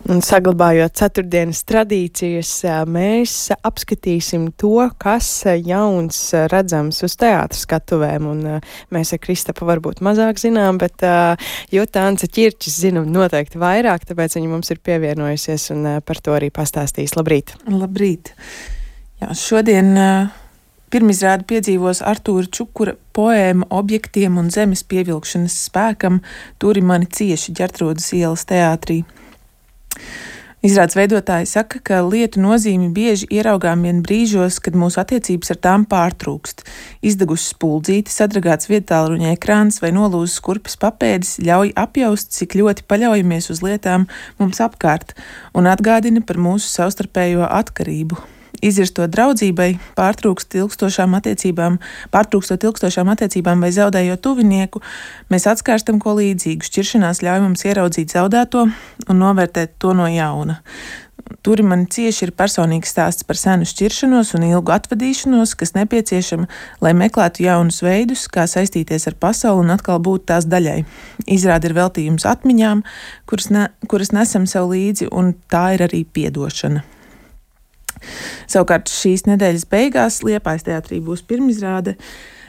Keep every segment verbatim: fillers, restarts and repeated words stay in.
Un saglabājot ceturtdienas tradīcijas, mēs apskatīsim to, kas jauns redzams uz teātra skatuvēm. Un mēs ar Kristapu varbūt mazāk zinām, bet Juta Ance Ķirčis zina noteikti vairāk, tāpēc viņa mums ir pievienojusies un par to arī pastāstīs. Labrīt! Labrīt! Jā, šodien pirmizrādi piedzīvos Artūra Čukura poēma Objektiem un zemes pievilkšanas spēkam Turi mani cieši Ģertrūdas ielas teātrī. Izrādes veidotāji saka, ka lietu nozīmi bieži ieraugām vien brīžos, kad mūsu attiecības ar tām pārtrūkst. Izdegusi spuldzīte, sadragāts viedtālruņa ekrāns vai nolūzis kurpes papēdis ļauj apjaust, cik ļoti paļaujamies uz lietām mums apkārt un atgādina par mūsu savstarpējo atkarību. Izjirstot draudzībai, pārtrūkst ilgstošām attiecībām, pārtrūkstot ilgstošām attiecībām vai zaudējot tuvinieku, mēs atskārstam ko līdzīgu. Šķiršanās ļauj mums ieraudzīt zaudēto un novērtēt to no jauna. Turi mani cieši ir personīgs stāsts par senu šķiršanos un ilgu atvadīšanos, kas nepieciešama, lai meklētu jaunus veidus, kā saistīties ar pasauli un atkal būt tās daļai. Izrāde ir veltījums atmiņām, kuras, ne, kuras nesam sev līdzi, un tā ir arī piedošana. Savukārt šīs nedēļas beigās Liepājas teātrī būs pirmizrāde.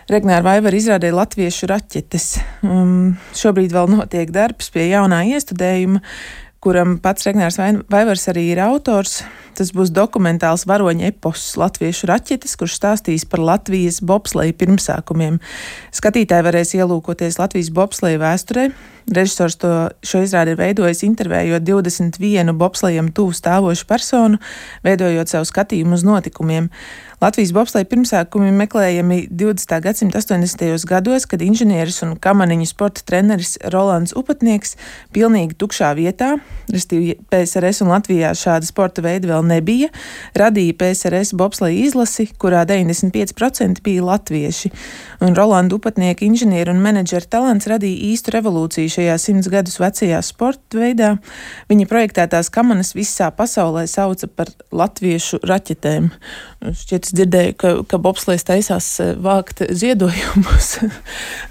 Regnāra Vaivara izrādē Latviešu raķetes. Um, šobrīd vēl notiek darbs pie jaunā iestudējuma, kuram pats Regnārs Vaivars arī ir autors. Tas būs dokumentāls varoņa eposs Latviešu raķetes, kurš stāstīs par Latvijas bobsleja pirmsākumiem. Skatītāji varēs ielūkoties Latvijas bobsleja vēsturē. Režisors to šo izrādi ir veidojis intervējot divdesmit vienu bobslejam tuvu stāvošu personu, veidojot savu skatījumu uz notikumiem. Latvijas bobsleja pirmsākumi meklējami divdesmitā gadsimta astoņdesmitajos gados, kad inženieris un kamaniņu sporta treneris Rolands Upatnieks pilnīgi tukšā vietā, restīvi P S R S un Latvijā šāda sporta veida vēl nebija, radīja P S R S bobsleja izlasi, kurā deviņdesmit pieci procenti bija latvieši. Un Rolanda Upatnieka inženieru un menedžera talants radīja īstu revolūciju šajā simts gadus vecajā sporta veidā. Viņa projektētās kamanas visā pasaulē sauca par latviešu raķetēm. Šķiet, es dzirdēju, ka, ka bobslejs taisās vākt ziedojumus.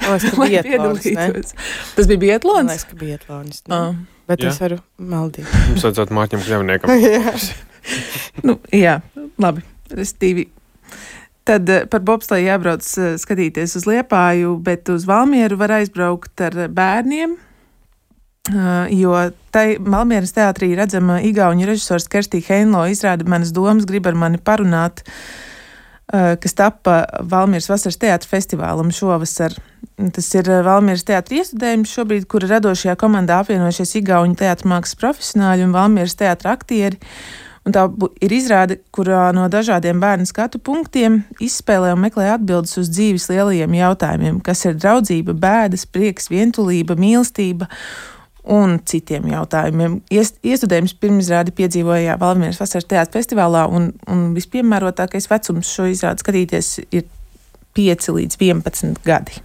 Tas bija biatlons, Tas bija biatlons? Man liekas, ka biatlons. Ah. Bet jā. Es varu maldīt. Mums vajadzētu Mārķim Kļavniekam. jā. nu, jā, labi. Restīvi. Tad par bobsleju jābrauc skatīties uz Liepāju, bet uz Valmieru var aizbraukt ar bērniem, jo tai Valmieras teātrī redzama igauņu režisors Kerstī Heinlo izrāda Manas domas grib ar mani parunāt, kas tappa Valmieras vasaras teātra festivālam šovasar. Tas ir Valmieras teātra iestudējums šobrīd, kura radošajā komandā apvienojušies igauņu teātra mākslas profesionāļi un Valmieras teātra aktieri. Un tā ir izrāde, kurā no dažādiem bērnu skatu punktiem izspēlē un meklē atbildes uz dzīves lielajiem jautājumiem, kas ir draudzība, bēdas, prieks, vientulība, mīlestība un citiem jautājumiem. Iestudējums pirmizrādi piedzīvoja Valmieras vasaras teātra festivālā, un, un vispiemērotākais vecums šo izrādi skatīties ir pieci līdz vienpadsmit gadi.